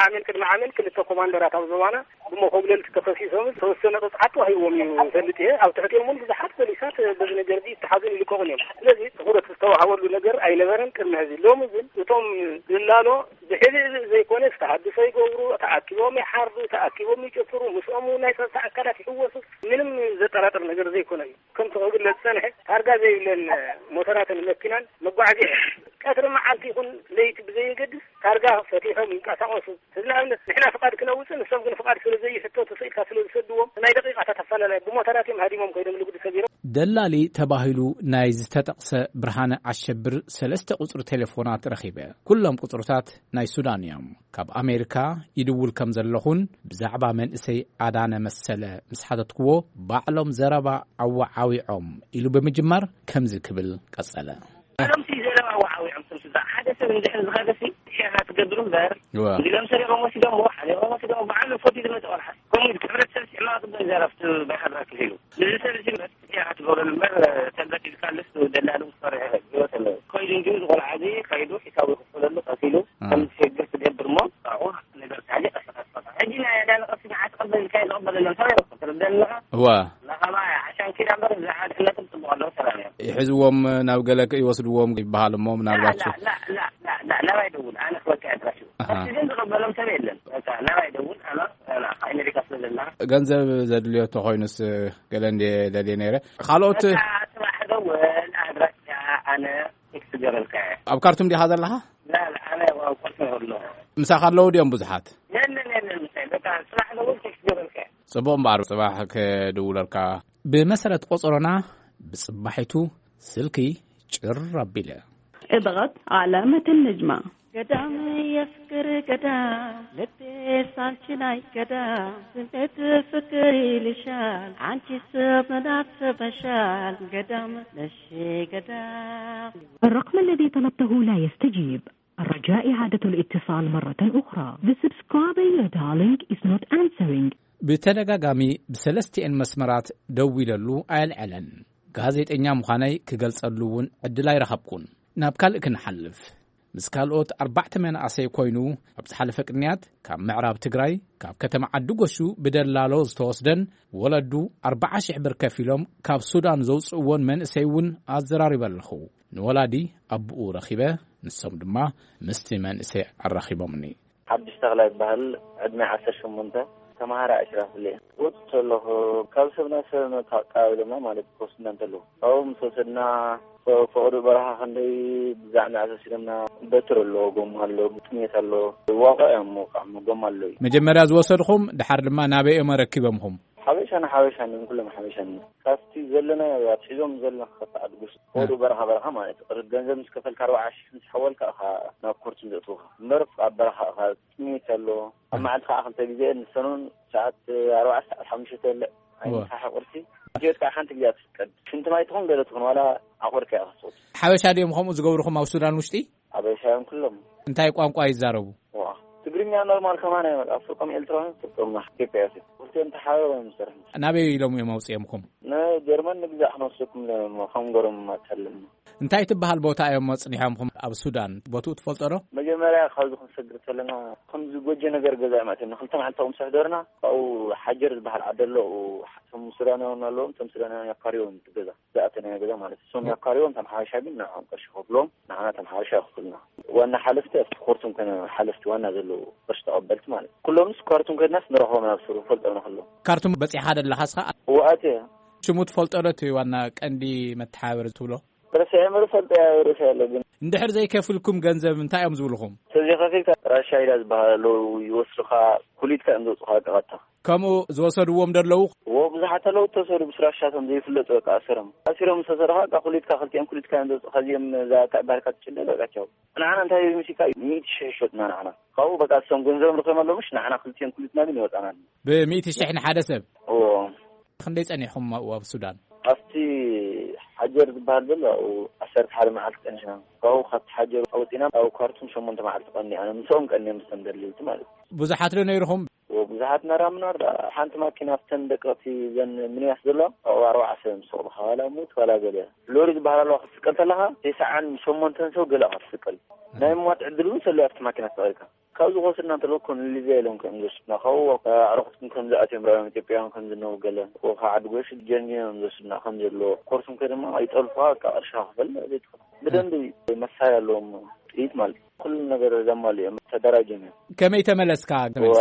ዓሜል ቅድሚ ዓሜል ክልተ ኮማንደራት ኣብ ዞባና ብመኮብለልቲ ተኸሲሶም ዝተወሰነ ቅፅዓት ተዋሂብዎም እዩ ይፈልጥ እየ። ኣብ ትሕቲኦም እውን ብዙሓት ፖሊሳት በዚ ነገር እዚ ይተሓዙን ይልቀቑን እዮም። ስለዚ ትኹረት ዝተዋሃበሉ ነገር ኣይነበረን ቅድሚ ሕዚ። ሎሚ ግን እቶም ዝላሎ ብሕልእ ዘይኮነስ ተሃድሶ ይገብሩ፣ ተኣኪቦም ይሓርዱ፣ ተኣኪቦም ይጭፍሩ፣ ምስኦም እውን ናይ ጸጥታ ኣካላት ይሕወሱ። ምንም ዘጠራጥር ነገር ዘይኮነ እዩ። ከምቲ ክግለጽ ዝጸንሐ ታርጋ ዘይብለን ሞተራትን መኪናን መጓዓዝያ ቀትሪ መዓልቲ ይኹን ለይቲ ብዘየገድስ ታርጋ ፈቲሖም ይንቀሳቐሱ። ንኣብነት ንሕና ፍቓድ ክነውፅእ ንሶም ግን ፍቓድ ስለ ዘይሕተቱ ስኢልካ ስለ ዝሰድዎም ናይ ደቂቃታት ኣፈላላይ ብሞተራት እዮም ሃዲሞም ኮይኖም ንግዲ ሰጊሮም። ደላሊ ተባሂሉ ናይ ዝተጠቕሰ ብርሃነ ኣሸብር ሰለስተ ቁፅሪ ቴሌፎናት ረኺበ። ኩሎም ቁፅርታት ናይ ሱዳን እዮም። ካብ ኣሜሪካ ይድውል ከም ዘለኹን ብዛዕባ መንእሰይ ኣዳነ መሰለ ምስ ሓተትክዎ ባዕሎም ዘረባ ዓዋዓዊዖም ኢሉ ብምጅማር ከምዚ ክብል ቀጸለ። እዞም ሲ ዘለዋ ወዓዊዖም፣ ስም ስዛ ሓደ ሰብ እንድሕር ዝኸደ ሲ ሸኻ ትገብር እምበር፣ እዋ። እንዲሎም ሰሪቖም ወሲዶምዎ፣ ሓሊቖም ወሲዶምዎ፣ ብዓሉ ፈትዩ ዝመጸ ቆልዓ። ከምኡ ኢሉ ሕብረተሰብ ሲ ዕማቕ ጽቡቕ ይዛረብ፣ እቲ ባይሓድራ ክሒሉ። እዚ ሰብ እዚ መስ ሸኻ ትገብረሉ እምበር፣ ተንበዲልካ ልስ ደላሉ ክሰርሕ ህይወት ኣለዎ። ከይዱ እንጂ እዚ ቆልዓ እዚ ከይዱ ሒሳቡ ይኽፈለሉ፣ ቀሲሉ፣ አ። ከም ዝሸግር ትገብር እሞ፣ ኣብኡ ነገር ታሊ ቀስ ቀስ ቀስ። ሕጂ ናይ ኣዳኒ ቀስ መዓት ቀበል ኢልካ ዝቕበለሎም ሰብ ኣይረኽብን። ትርደኣኒ ኣለኻ? እዋ። ለኸባ ዓሻን ኪዳ እምበር፣ እዚ ሓደ ዕለትም ጽቡቕ ኣለዉ፣ ሰላም እዮም። ይሕዝዎም፣ ናብ ገለ ይወስድዎም ይበሃል እሞ፣ ምናልባት ላ፣ ላ፣ ላ፣ ላ፣ ላ፣ ናባይ ደውል፣ ኣነ ክበካ ኣድራሽ። ኣሃ። እስቲ ግን ዝቕበሎም ሰብ የለን። በቃ፣ ናባይ ደውል፣ ኣና፣ ኣና፣ ኣሜሪካ ስለ ዘለና። ገንዘብ ዘድልዮ ተኾይኑስ፣ ገለ እንድየ ደልየ ነይረ። ካልኦት በቃ፣ ጽባሕ ደውል፣ ኣድራሽ፣ ኣነ፣ ቴክስት ገበልካ እየ። ኣብ ካርቱም ዲኻ ዘለኻ? ላ፣ ላ፣ ኣነ ኣብ ኮርስ ኣለኹ። ምሳኻ ኣለዉ ድዮም ብዙሓት? የለን፣ የለን፣ ምሳይ። በቃ፣ ጽባሕ ደውል፣ ቴክስት ገበልካ እየ። ጽቡቕ እምበኣር፣ ጽባሕ ክድውለልካ። ብመሰረት ቆጸሮና፣ ብጽባሒቱ ስልኪ ጭር ኣቢለ። እብቐት ዓለመትን ንጅማ። ገዳም የፍቅር ገዳም፣ ልቤ ሳንቺ ናይ ገዳም፣ ስሜት ፍቅር ይልሻል፣ አንቺ ሰብ ምን አስበሻል፣ ገዳም ነሽ ገዳም። الرقم الذي طلبته لا يستجيب. الرجاء إعادة الاتصال مرة أخرى. The subscriber you're dialing is not answering. ብተደጋጋሚ ብሰለስቲኤን መስመራት ደዊለሉ ኣየልዐለን። ጋዜጠኛ ምዃነይ ክገልጸሉ እውን ዕድል ኣይረኸብኩን። ናብ ካልእ ክንሓልፍ። ምስ ካልኦት ኣርባዕተ መናእሰይ ኮይኑ፣ ኣብ ዝሓለፈ ቅንያት ካብ ምዕራብ ትግራይ፣ ካብ ከተማ ዓዲ ጎሹ ብደላሎ ዝተወስደን ወለዱ ኣርባዓ ሽሕ ብር ከፊሎም ካብ ሱዳን ዘውፅእዎን መንእሰይ እውን ኣዘራሪበ ኣለኹ። ንወላዲ ኣቦኡ ረኺበ፣ ንሶም ድማ ምስቲ መንእሰይ ኣራኺቦምኒ። ሓድሽ ተኽላ ይበሃል። ዕድመ ዓሰርተ ሸሞንተ፣ ተምሃራይ ኣሽራፍለ እየ። ወፅቶ ኣለኹ። ካብ ሰብ ናብ ሰብ መተቃባብሎምና ማለት ክወስድና እንተለዉ። ካብኡ ምስ ወሰድና፣ ፈ-፣ ፈቐዶ በረኻ ክንደይ ብዛዕባ ተወሲዶምና። በትር ኣሎ፣ ጎማ ኣሎ፣ ጥሜት ኣሎ። ዋቋ እዮም መውቃዕሞ፣ ጎማ ኣሎ እዩ። መጀመርያ ዝወሰድኹም፣ ድሓር ድማ ናበይ እዮም ኣረኪቦምኹም? ሓበሻ ንሓበሻ ነን፣ ኩሎም ሓበሻ ነን። ካብቲ ዘለናዮ፣ ኣብ ሒዞም ዘለና ክኸፍት ዓዲ ጉሽ፣ እ። ወዱ በረኻ በረኻ ማለት እዩ። ቅርብ ገንዘብ ምስ ከፈልካ፣ ኣርባዓ ሽሕ ምስ ሓወልካ ኢኻ ናብ ኮርት ዘእትውኻ። እምበር ኣብ በረኻ ኢኻ፣ ጥሜት ኣሎ። ኣብ እ። መዓልቲ ከዓ ክልተ ግዜ፣ ንሰኑን ሰዓት ኣርባዓ ሰዓት ሓሙሽተ በልዕ። እወ። ኣይምሳሕ ቁርሲ። ሂወት ከዓ ሓንቲ ግዜ ትፍቀድ። ሽንቲ ማይ ትኹን ገለ ትኹን፣ ዋላ ዓቑር ከኣ ክትሰት። ሓበሻ ድዮም ከምኡ ዝገብርኹም ኣብ ሱዳን ውሽጢ? ሓበሻ እዮም ኩሎም። እንታይ ቋንቋ ይዛረቡ? ዋ፣ ትግርኛ ኖርማል ከማን እዮም። ኣብ ፍርቆም ኤርትራውያን፣ ፍርቆም ኢትዮጵያ እዮም። ክልቲኦም ተሓባቢሮም እዮም ዝሰርሑ። ናበይ ኢሎም እዮም ኣውፅኦምኩም? ንጀርመን ንግዛእ ክንወስደኩም ኢሎም እዮም፣ ከም ገሮም ኣታለልና። እንታይ ትበሃል ቦታ እዮም ኣፅኒሖምኹም ኣብ ሱዳን? ቦትኡ ትፈልጦ ዶ? መጀመርያ ካብዚ ክንሰግር ከለና፣ ከምዚ ጎጆ ነገር ገዛ እዮም ኣትዮም። ንክልተ መዓልቲ ከምስሕ ደርና፣ ካብኡ ሓጀር ዝበሃል ዓዲ ኣሎ፣ ኣብኡ እቶም ሱዳናውያን ኣለዎም፣ እቶም ሱዳናውያን ያካርዮም እቲ ገዛ። ዝኣተናዮ ገዛ ማለት እዩ። እሶም ያካርዮም፣ እቶም ሓበሻ ግን ንዕኦም ቅርሺ ከፍሎም፣ ንዓና እቶም ሓበሻ ይኸፍሉና። ዋና ሓለፍቲ ኣብቲ ኮርቱም ከነ ሓለፍቲ ዋና ዘለዉ ቅርሺ ተቐበልቲ ማለት እዩ። ኩሎምስ ካርቱም ከድናስ ንረኽቦም ናብ ሱሩ ፈልጦም ንኽሎ። ካርቱም በጺሕኻ ደለኻ እስኻ? እወ፣ ኣትየ። ሽሙ ትፈልጦ ዶ እቲ ዋና ቀንዲ መተሓባበሪ ትብሎ? ረሲዐ እምበር ፈልጦ እየ፣ ርእሲ ኣሎ ግን። እንድሕር ዘይከፍልኩም ገንዘብ እንታይ እዮም ዝብልኹም? ተዘይኸፊልካ ራሻ ኢዳ ዝበሃል ኣለዉ፣ ይወስዱኻ፣ ኩሊትካ እዮም ዘውፅኻ ቀቐታ። ከምኡ ዝወሰድዎም ዶ ኣለዉ? እዎ፣ ብዙሓት ኣለዉ እተወሰዱ፣ ምስ ራሻቶም ዘይፍለጡ በቃ ኣሰሮም። ኣሲሮም ዝተሰርኻ በቃ ኩሊትካ፣ ክልቲኦም ኩሊትካ እዮም ዘውፅኻ። እዚኦም እዛ እታ ዕባርካ ትጭደ በቃ ቻው። ንዓና እንታይ መሲልካ እዩ? ሚእቲ ሽሕ ይሸጡና ንዓና። ካብኡ በቃ እሶም ገንዘቦም ረኺቦም ኣለዉ፣ ምሽ ንዓና ክልቲኦም ኩሊትና ግን ይወፃና ኣሎ። ብሚእቲ ሽሕ ንሓደ ሰብ? እዎ። ክንደይ ጸኒሕኹም ኣብኡ ኣብ ሱዳን? ኣብቲ ሓጀር ዝበሃል ዘሎ ኣብኡ ዓሰርተ ሓደ መዓልቲ ጸኒሕና። ካብኡ ካብቲ ሓጀር ወጺና ኣብ ካርቱም ሸሞንተ መዓልቲ ቀኒኣና። ምስኦም ቀኒኦም ምስቶም ደለይቲ ማለት እዩ። ብዙሓት ዶ ነይርኹም? እዎ፣ ብዙሓት ነራ ምናር ደኣ ሓንቲ ማኪና ኣብተን ደቀቕቲ ዘን ሚኒባስ ዘሎ ኣብኡ ኣርባዓ ሰብ ምስ ሰቕሉ፣ ዋላ ሙት ዋላ ገለ። ሎሪ ዝበሃል ኣለዋ ክትስቀል ከለኻ ተስዓን ሸሞንተን ሰብ ገለ ኢኻ ትስቀል። ናይ ምሟት ዕድል እውን ሰሎ ኣብቲ ማኪና ተቐልካ። ካብዚ ክወስድና እንተለዉ ኮን ሊብያ ኢሎም ከም ዝወስዱና፣ ካብኡ ኣዕሩኽትኩም ከም ዝኣትዮም ርኣዮም፣ ኢትዮጵያውያን ከም ዝነዉ ገለ፣ ካብኡ ካብ ዓዲ ጎሽ ጀንጊኖም ዝወስዱና ከም ዘለዉ፣ ኮርሱም ከ ድማ ኣይጠልፉኻ፣ በቃ ቅርሽኻ ክፈል ዘይትኽእል። ብደንቢ መሳርያ ኣለዎም፣ ጥይት ማለት እዩ። ኩሉ ነገር ዘማልኡ እዮም፣ ተደራጅዮም እዮም። ከመይ ተመለስካ?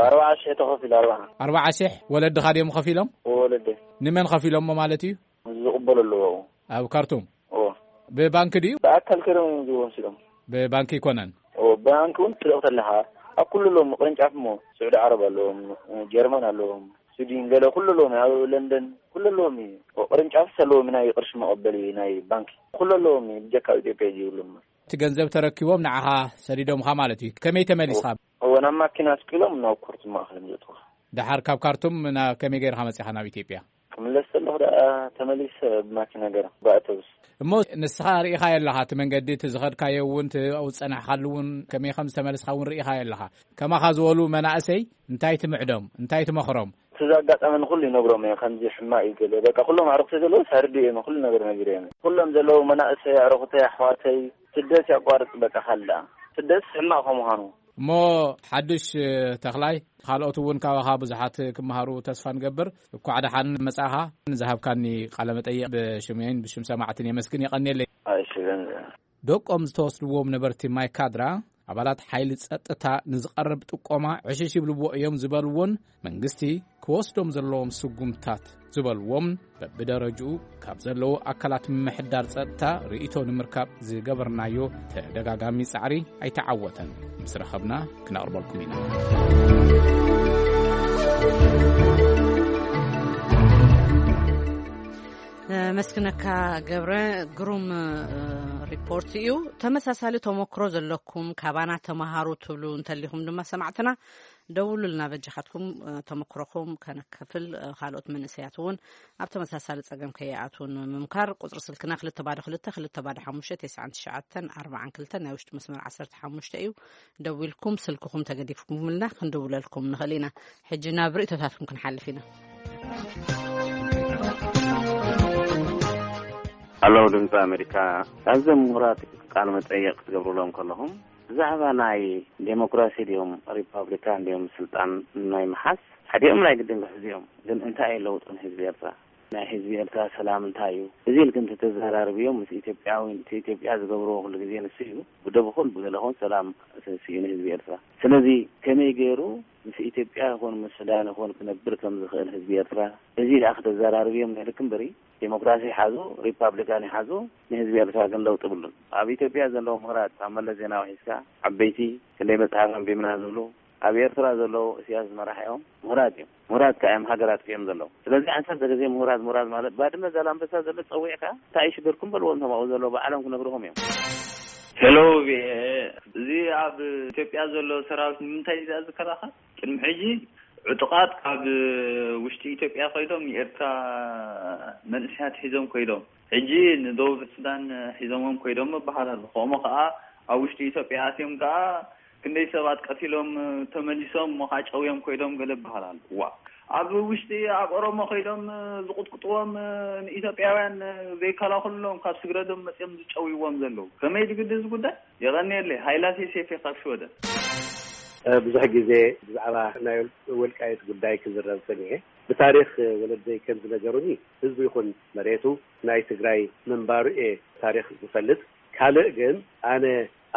ኣርባዓ ሽሕ ተኸፊሉ፣ ኣርባዓ። ኣርባዓ ሽሕ ወለድኻ ድዮም ከፊሎም? ወለደይ። ንመን ከፊሎሞ ማለት እዩ? ዝቕበሉ ኣለዉ ኣብኡ። ኣብ ካርቱም? እዎ። ብባንክ ድዩ? ብኣካል ከይዶም እዮም ዝወስዶም። ብባንክ ይኮነን? እዎ፣ ብባንክ እውን ትልእኽ ተለኻ፣ ኣብ ኩሉ ኣለዎም፣ ቅርንጫፍ እሞ፣ ስዑዲ ዓረብ ኣለዎም፣ ጀርመን ኣለዎም፣ ስዊድን ገለ ኩሉ ኣለዎም፣ ኣብ ለንደን ኩሉ ኣለዎም እዩ። ቅርንጫፍስ ኣለዎም፣ ናይ ቅርሺ መቐበሊ ናይ ባንክ ኩሉ ኣለዎም እዩ፣ ብጀካ ኣብ ኢትዮጵያ እዩ ዘይብሎም። እቲ ገንዘብ ተረኪቦም ንዓኻ ሰዲዶምኻ ማለት እዩ። ከመይ ተመሊስኻ? እዎ፣ ናብ ማኪና ስቂሎም ናብ ኮርቱም ማእኸል እዮም ዘእትውኻ። ደሓር ካብ ካርቱም ናብ ከመይ ገይርካ መጺኻ ናብ ኢትዮጵያ? ክምለስ ከለኹ ደኣ ተመሊሰ ብማኪና ገይረ ብኣውቶቡስ። እሞ ንስኻ ርኢኻዮ ኣለኻ፣ እቲ መንገዲ፣ እቲ ዝኸድካዮ እውን፣ እቲ ኣብኡ ዝጸናሕካሉ እውን፣ ከመይ ከም ዝተመለስካ እውን ርኢኻዮ ኣለኻ። ከማኻ ዝበሉ መናእሰይ እንታይ ትምዕዶም፣ እንታይ ትመኽሮም? እቲ ዘጋጠመኒ ኩሉ ይነግሮም እየ። ከምዚ ሕማቕ እዩ ገለ፣ በቃ፣ ኩሎም ኣዕሩኽተይ ዘለዉ ሳርዲ እዮም፣ ኩሉ ነገር ነጊረ እዮም። ኩሎም ዘለዉ መናእሰይ ኣዕሩኽተይ ኣሕዋተይ፣ ስደት ያቋርጽ፣ በቃ፣ ካልእ ደኣ ስደት ሕማቕ ከምዃኑ። እሞ ሓድሽ ተኽላይ፣ ካልኦት እውን ካባኻ ብዙሓት ክመሃሩ ተስፋ ንገብር። እኳዕ ደሓን መጻእኻ። ንዝሃብካኒ ቃለ መጠይቕ ብሽመይን ብሽም ሰማዕትን የመስግን፣ የቐንየለይ። እሺ፣ ገንዘብ። ደቆም ዝተወስድዎም ነበርቲ ማይካድራ፣ ኣባላት ሓይሊ ጸጥታ ንዝቐርብ ጥቆማ ዕሽሽ ይብልዎ እዮም ዝበልዎን መንግስቲ ክወስዶም ዘለዎም ስጉምታት ዝበልዎም በብደረጅኡ ካብ ዘለዉ ኣካላት ምምሕዳር ጸጥታ ርእይቶ ንምርካብ ዝገበርናዮ ተደጋጋሚ ጻዕሪ ኣይተዓወተን። ምስ ረኸብና ክነቕርበልኩም ኢና። ነመስግነካ ገብረ፣ ግሩም ሪፖርት እዩ። ተመሳሳሊ ተመክሮ ዘለኩም፣ ካባና ተመሃሩ ትብሉ እንተሊኹም ድማ ሰማዕትና፣ ደውሉልና በጃኻትኩም። ተመክሮኹም ከነካፍል፣ ካልኦት መንእሰያት እውን ኣብ ተመሳሳሊ ጸገም ከይኣትዉ ንምምካር ቁጽሪ ስልክና ክልተ ባዶ ክልተ ክልተ ባዶ ሓሙሽተ ተስዓን ትሽዓተን ኣርባዓን ክልተን፣ ናይ ውሽጢ መስመር ዓሰርተ ሓሙሽተ እዩ። ደዊልኩም ስልክኹም ተገዲፍኩምልና ክንድውለልኩም ንኽእል ኢና። ሕጂ ናብ ርእይቶታትኩም ክንሓልፍ ኢና። ኣለው ድምፂ ኣሜሪካ፣ ካብዞም ምሁራት ቃለ መጠይቕ ክትገብሩሎም ከለኹም ብዛዕባ ናይ ዴሞክራሲ ድዮም ሪፓብሊካን ድዮም ስልጣን ናይ ምሓዝ ሓዲኦም ናይ ግድን ክሕዙ እዮም። ግን እንታይ እዩ ለውጡ ንህዝቢ ኤርትራ? ናይ ህዝቢ ኤርትራ ሰላም እንታይ እዩ? እዚ ኢልክ እንተተዘራርብዮም ምስ ኢትዮጵያዊ፣ እቲ ኢትዮጵያ ዝገብርዎ ኩሉ ግዜ ንሱ እዩ። ብደብ ይኹን ብገለ ይኹን ሰላም ስእኑ ህዝቢ ኤርትራ። ስለዚ ከመይ ገይሩ ምስ ኢትዮጵያ ይኹን ምስ ሱዳን ይኹን ክነብር ከም ዝኽእል ህዝቢ ኤርትራ፣ እዚ ደኣ ክተዘራርብዮም ነይርክ እምበሪ፣ ዴሞክራሲ ይሓዙ ሪፓብሊካን ይሓዙ፣ ንህዝቢ ኤርትራ ግን ለውጢ ብሉን። ኣብ ኢትዮጵያ ዘለዉ ምሁራት፣ ካብ መለስ ዜናዊ ሒዝካ ዓበይቲ፣ ክንደይ መጽሓፍ ኣንቢብና ዝብሉ፣ ኣብ ኤርትራ ዘለዉ እስያስ ዝመራሕኦም ምሁራት እዮም። ምሁራት ከኣ እዮም ሃገር ኣጥፊኦም ዘለዉ። ስለዚ ዓሰርተ ግዜ ምሁራት ምሁራት ማለት፣ ባድመ ዛላምበሳ ዘሎ ጸዊዕካ እንታይ እዩ ሽግርኩም በልዎም፣ እቶም ኣብኡ ዘለዉ ባዕሎም ክነግርኹም እዮም። ሄሎ ቪኦኤ፣ እዚ ኣብ ኢትዮጵያ ዘሎ ሰራዊት ንምንታይ እዩ ዝከላኸል? ቅድሚ ሕጂ ዕጡቓት ካብ ውሽጢ ኢትዮጵያ ኮይዶም ንኤርትራ መንእሰያት ሒዞም ኮይዶም፣ ሕጂ ንደቡብ ሱዳን ሒዞሞም ኮይዶም ይበሃል ኣሎ። ከምኡ ከኣ ኣብ ውሽጢ ኢትዮጵያ ኣትዮም ከኣ ክንደይ ሰባት ቀቲሎም ተመሊሶም እሞ ከኣ ጨውዮም ኮይዶም ገለ ይበሃል ኣሎ። ዋ፣ ኣብ ውሽጢ ኣብ ኦሮሞ ኮይዶም ዝቕጥቅጥዎም ንኢትዮጵያውያን ዘይከላኸሉሎም ካብ ስግረዶም መጺኦም ዝጨውይዎም ዘለዉ። ከመይ ድግዲ እዚ ጉዳይ? የቐንየለይ። ሃይላሴ ሴፌ ካብ ሽወደን። ብዙሕ ግዜ ብዛዕባ ናይ ወልቃይት ጉዳይ ክዝረብ ሰሚዐ። ብታሪኽ ወለደይ ከም ዝነገሩኒ፣ ህዝቡ ይኹን መሬቱ ናይ ትግራይ ምንባሩ እየ ታሪኽ ዝፈልጥ። ካልእ ግን፣ ኣነ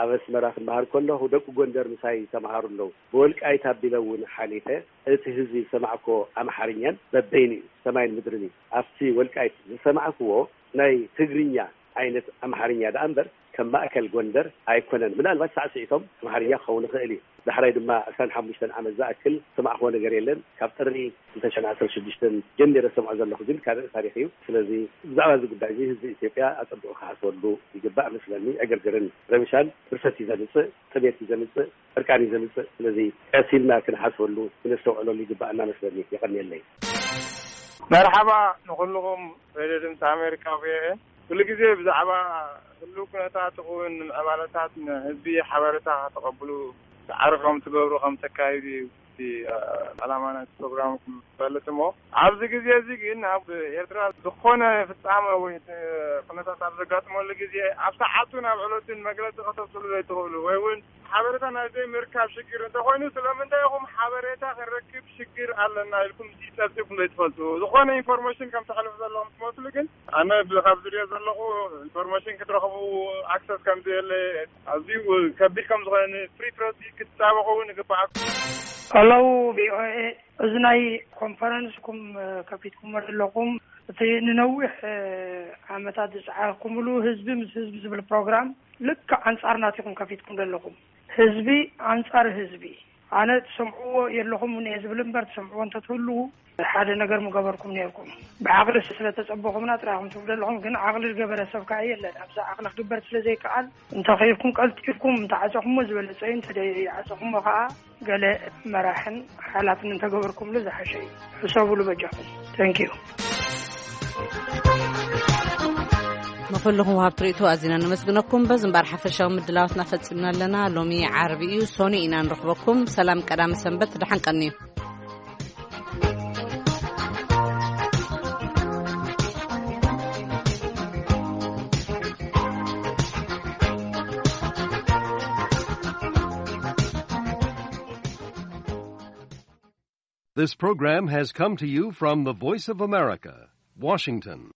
ኣብ ኣስመራ ክመሃር ከለኹ፣ ደቂ ጎንደር ምሳይ ተምሃሩ ኣለዉ። ብወልቃይት ኣቢለ እውን ሓሊፈ። እቲ ህዝቢ ዝሰማዕኮ ኣምሓርኛን በበይኑ እዩ፣ ሰማይን ምድርን እዩ። ኣብቲ ወልቃይት ዝሰማዕክዎ ናይ ትግርኛ ዓይነት ኣምሓርኛ ደኣ እምበር፣ ከም ማእከል ጎንደር ኣይኮነን። ምናልባት ሳዕስዒቶም ኣምሓርኛ ክኸውን ይኽእል እዩ። ዳሕራይ ድማ ዕስራን ሓሙሽተን ዓመት ዝኣክል ዝሰማዕክዎ ነገር የለን። ካብ ጥሪ ክልተ ሽሕን ዓሰርተ ሽዱሽተን ጀሚረ ዝሰምዖ ዘለኹ ግን ካልእ ታሪኽ እዩ። ስለዚ ብዛዕባ እዚ ጉዳይ እዚ ህዝቢ ኢትዮጵያ ኣጸቢቑ ክሓስበሉ ይግባእ መስለኒ። ዕግርግርን ረብሻን ብርሰት እዩ ዘምጽእ፣ ጥሜት እዩ ዘምጽእ፣ ዕርቃን እዩ ዘምጽእ። ስለዚ ቀስ ኢልና ክንሓስበሉ፣ ክነስተውዕለሉ ይግባኣና መስለኒ። የቐንየለይ። መርሓባ ንኹልኹም ሬድዮ ድምፂ ኣሜሪካ፣ ቪኦኤ። ኩሉ ግዜ ብዛዕባ ህልው ኩነታት ይኹን ንምዕባለታት ንህዝቢ ሓበሬታ ከተቐብሉ ጻዕሪ ከም ትገብሩ ከም ተካይዱ እዩ እቲ፣ እ፣ ዕላማ ናይቲ ፕሮግራምኩም ዝፈልጥ እሞ፣ ኣብዚ ግዜ እዚ ግን ኣብ ኤርትራ ዝኾነ ፍጻመ ወይ እቲ ኩነታት ኣብ ዘጋጥመሉ ግዜ ኣብ ሰዓቱ ናብ ዕለቱን መግለጺ ከተውፅሉ ዘይትኽእሉ ወይ እውን ሓበሬታ ናይ ዘይምርካብ ሽግር እንተኾይኑ ስለምንታይ ኢኹም ሓበሬታ ክንረክብ ሽግር ኣለና ኢልኩም ጸብጺብኩም ዘይትፈልጡ? ዝኾነ ኢንፎርሜሽን ከም ተሕልፉ ዘለኹም ትመስሉ፣ ግን ኣነ ብ-፣ ካብ ዝሪኦ ዘለኹ ኢንፎርሜሽን ክትረኽቡ ኣክሰስ ከም ዘየለ፣ ኣዝዩ ከቢድ ከም ዝኾነ ንፍሪ ፕረስ ክትጣበቑ እውን ይግባኣኩም። ሄሎ ቪኦኤ፣ እዚ ናይ ኮንፈረንስኩም፣ እ፣ ከፊትኩሞ ዘለኹም፣ እቲ ንነዊሕ፣ እ፣ ዓመታት ዝጸዓርኩምሉ ህዝቢ ምስ ህዝቢ ዝብል ፕሮግራም ልክዕ ኣንጻር ናቲኹም ከፊትኩም ዘለኹም። ህዝቢ ኣንጻር ህዝቢ። ኣነ ትሰምዕዎ የለኹም እየ ዝብል እምበር፣ ትሰምዕዎ እንተትህልዉ ሓደ ነገር ምገበርኩም ነይርኩም። ብዓቕሊ ስለ ተጸበኹምና ጥራይ ኢኹም ትብሉ ዘለኹም፣ ግን ዓቕሊ ዝገበረ ሰብ ከኣ የለን። ኣብዚ ዓቕሊ ክግበር ስለ ዘይከኣል፣ እንተኸይድኩም ቀልጢፍኩም እንተዓጸኹሞ ዝበለጸ እዩ፣ እንተ ደይዓጸኹሞ ከኣ ገለ መራሕን ሓላፍን እንተገበርኩምሉ ዝሓሸ እዩ። ሕሰቡሉ በጃኹም። Thank you። ንኹልኹም ወሃብቲ ርእይቶ ኣዚና ነመስግነኩም። በዚ እምበኣር ሓፈሻዊ ምድላዋትና ፈጺምና ኣለና። ሎሚ ዓርቢ እዩ፣ ሶኒ ኢና ንረኽበኩም። ሰላም ቀዳመ ሰንበት፣ ደሓን ቀንዩ። This program has come to you from the Voice of America, Washington.